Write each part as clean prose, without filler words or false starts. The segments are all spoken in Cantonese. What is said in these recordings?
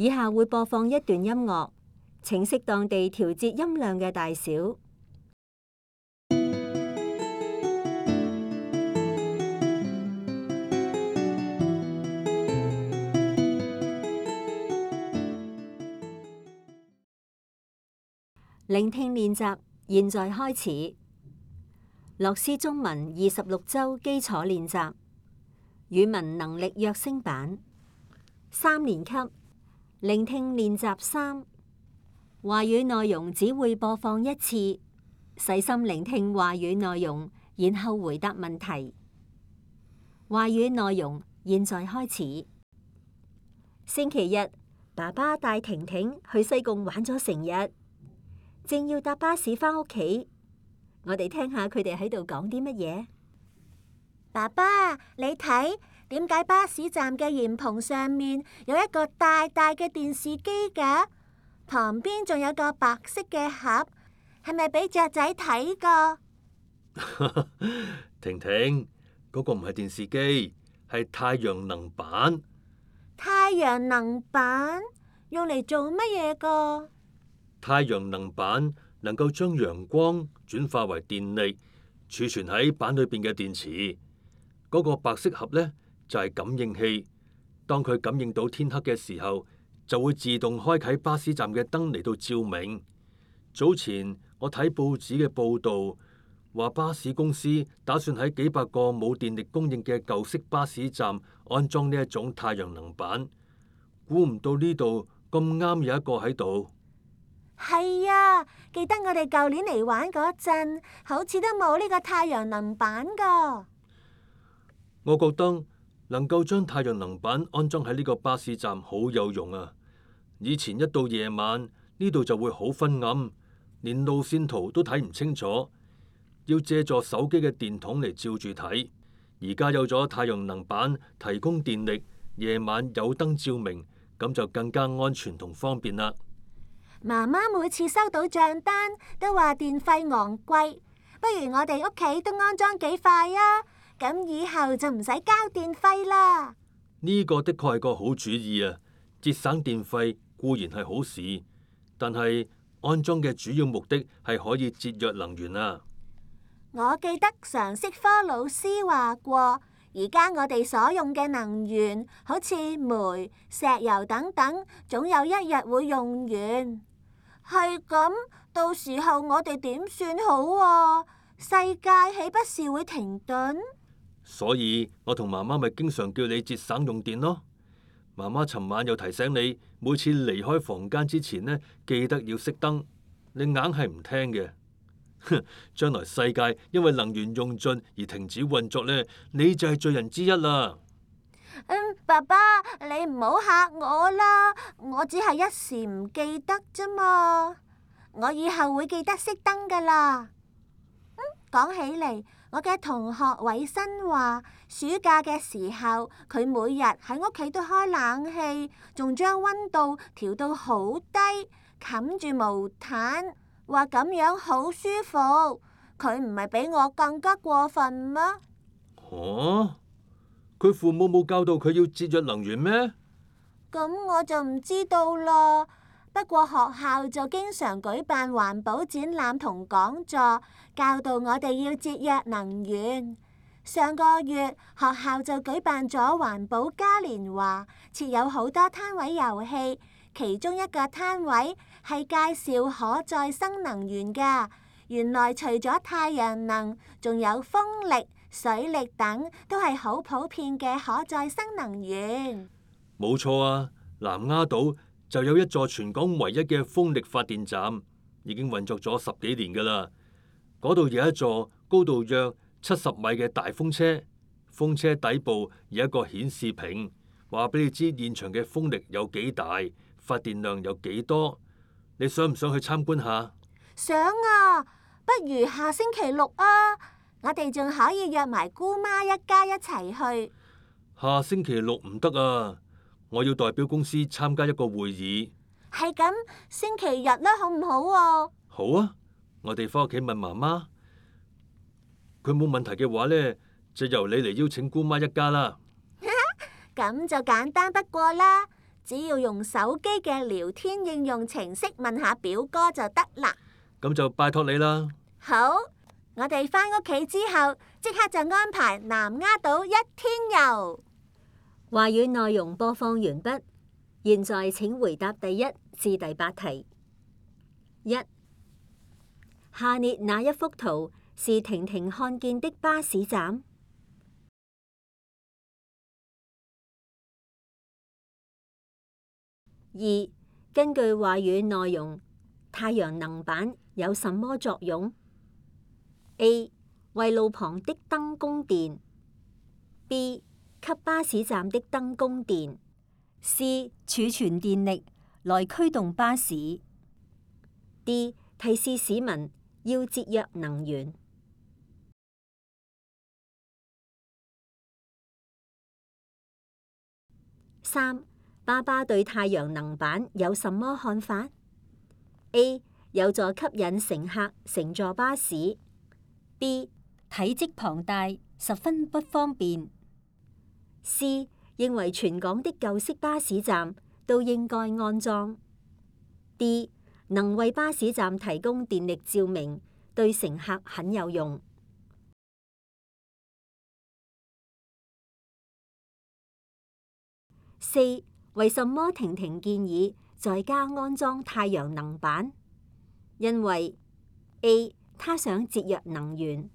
以下會播放一段音樂，請適當地調節音量嘅大小。聆聽練習，現在開始。樂思中文26週基礎練習，語文能力躍升版，3年級。聆聽練習3，話語內容只會播放一次，細心聆聽話語內容，然後回答問題。話語內容現在開始。星期日，爸爸帶婷婷去西貢玩咗成日。正要搭巴士返屋企，我哋聽下佢哋喺度講啲乜嘢。爸爸，你睇，點解巴士站嘅簷篷上面有一個大大嘅電視機㗎？旁邊仲有個白色嘅盒，係咪俾雀仔睇㗎？婷婷，嗰個唔係電視機，係太陽能板。太陽能板用嚟做乜嘢㗎？太陽能板能夠將陽光轉化為電力，儲存喺板裏邊嘅電池。嗰個白色盒呢，就係感應器，當佢感應到天黑嘅時候，就會自動開啟巴士站嘅燈嚟到照明。早前我睇報紙嘅報道，話巴士公司打算喺幾百個冇電力供應嘅舊式巴士站安裝呢一種太陽能板。估唔到呢度咁啱有一個喺度。係啊，記得我哋舊年嚟玩嗰陣，好似都冇呢個太陽能板㗎。我覺得能夠將太陽能板安裝喺呢個巴士站好有用啊！以前一到夜晚，呢度就會好昏暗，連路線圖都睇唔清楚，要借助手機嘅電筒嚟照住睇。而家有咗太陽能板提供電力，夜晚有燈照明，咁就更加安全同方便啦。媽媽每次收到賬單都話電費昂貴，不如我哋屋企都安裝幾塊啊，咁以後就唔使交電費啦。呢個的確係個好主意啊！節省電費固然係好事，但係安裝嘅主要目的係可以節約能源啊。我記得常識科老師話過，而家我哋所用嘅能源，好似煤、石油等等，總有一日會用完。係咁，到時候我哋點算好啊？世界豈不是會停頓？所以我同媽媽咪經常叫你節省用電咯。媽媽尋晚又提醒你，每次離開房間之前呢，記得要熄燈。你硬係唔聽嘅。哼，將來世界因為能源用盡而停止運作呢，你就係罪人之一啦。爸爸，你唔好嚇我啦，我只係一時唔記得啫嘛，我以後會記得熄燈噶啦。講起嚟，我嘅同學偉新話，暑假嘅時候，佢每日喺屋企都開冷氣，仲將溫度調到好低，冚住毛毯，話咁樣好舒服。佢唔係比我更加過分咩？佢父母冇教導佢要節約能源咩？咁我就唔知道啦。不過學校就經常舉辦環保展覽同講座，教導我哋要節約能源。上個月學校就舉辦咗環保嘉年華，設有好多攤位遊戲，其中一個攤位係介紹可再生能源㗎。原來除咗太陽能，仲有風力、水力等都係好普遍嘅可再生能源。冇錯啊，南丫島就有一座全港唯一嘅風力發電站，已經運作咗10幾年噶啦。嗰度有一座高度約70米嘅大風車，風車底部有一個顯示屏，話俾你知現場嘅風力有幾大，發電量有幾多。你想唔想去參觀下？想啊，不如下星期6啊，我哋仲可以約埋姑媽一家一齊去。下星期6唔得啊，我要代表公司參加一個會議。係咁，星期日啦，好唔好啊？好啊，我哋返屋企問媽媽，佢冇問題嘅話呢，就由你嚟邀請姑媽一家啦。咁就簡單不過啦，只要用手機嘅聊天應用程式問下表哥就得啦。咁就拜託你啦。好，我哋返屋企之後，即刻就安排南丫島1天遊。話語內容播放完畢，現在請回答第1至第8題。1. 下列哪一幅圖是婷婷看見的巴士站？2. 根據話語內容，太陽能板有什麼作用？ A. 為路旁的燈供電。 B. 給巴士站的燈供電。 C. 儲存電力來驅動巴士。 D. 提示市民要節約能源。3. 爸爸對太陽能板有什麼看法？ A. 有助吸引乘客乘坐巴士。 B. 體積龐大，十分不方便。 C. 認為全港的舊式巴士站都應該安裝。 D. 能為巴士站提供電力照明，對乘客很有用。4. 為什麼婷婷建議在家安裝太陽能板？因為 A. 她想節約能源。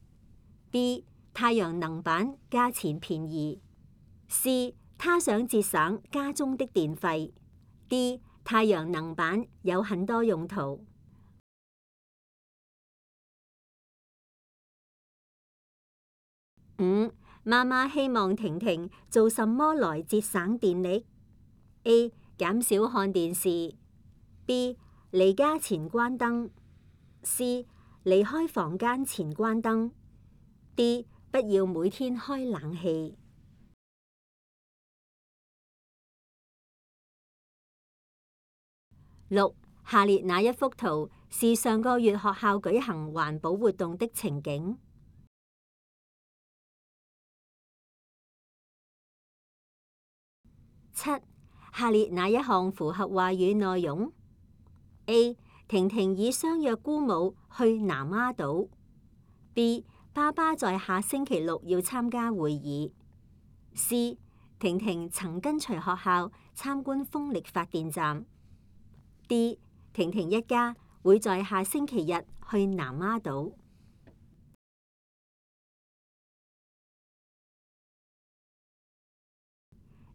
B. 太陽能板價錢便宜。 C. 她想節省家中的電費。 D. 太陽能板有很多用途。5. 媽媽希望婷婷做什麼來節省電力？ A. 減少看電視。 B. 離家前關燈。 C. 離開房間前關燈。 D. 不要每天開冷氣。6. 下列哪一幅圖是上個月學校舉行環保活動的情景？7. 下列哪一項符合話語內容？ A. 婷婷已相約姑母去南丫島。 B. 爸爸在下星期六要參加會議。 C. 婷婷曾跟隨學校參觀風力發電站。 D. 婷婷一家會在下星期日去南丫島。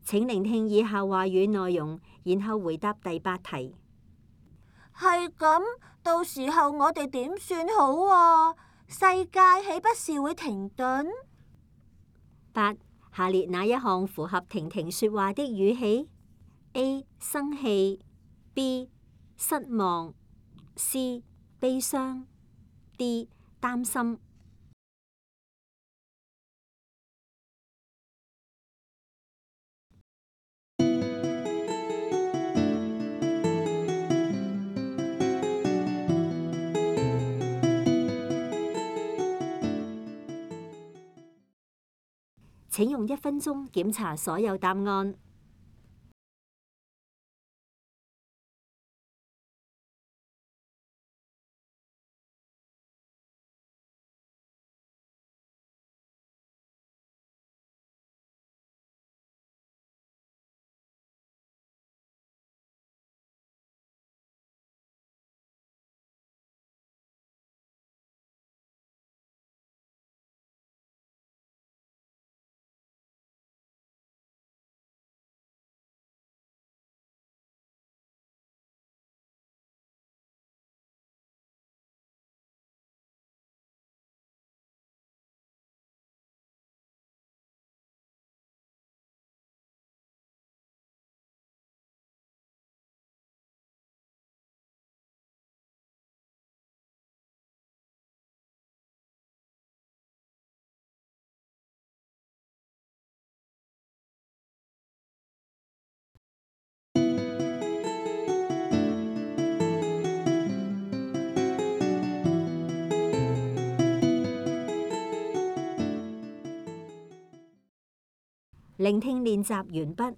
請聆聽以下話語內容，然後回答第8題。係咁，到時候我哋點算好啊？世界豈不是會停頓？8. 下列哪一項符合婷婷說話的語氣？ A. 生氣。 B. 失望。 C. 悲傷。 D. 擔心。請用1分鐘檢查所有答案。聆聽練習完畢。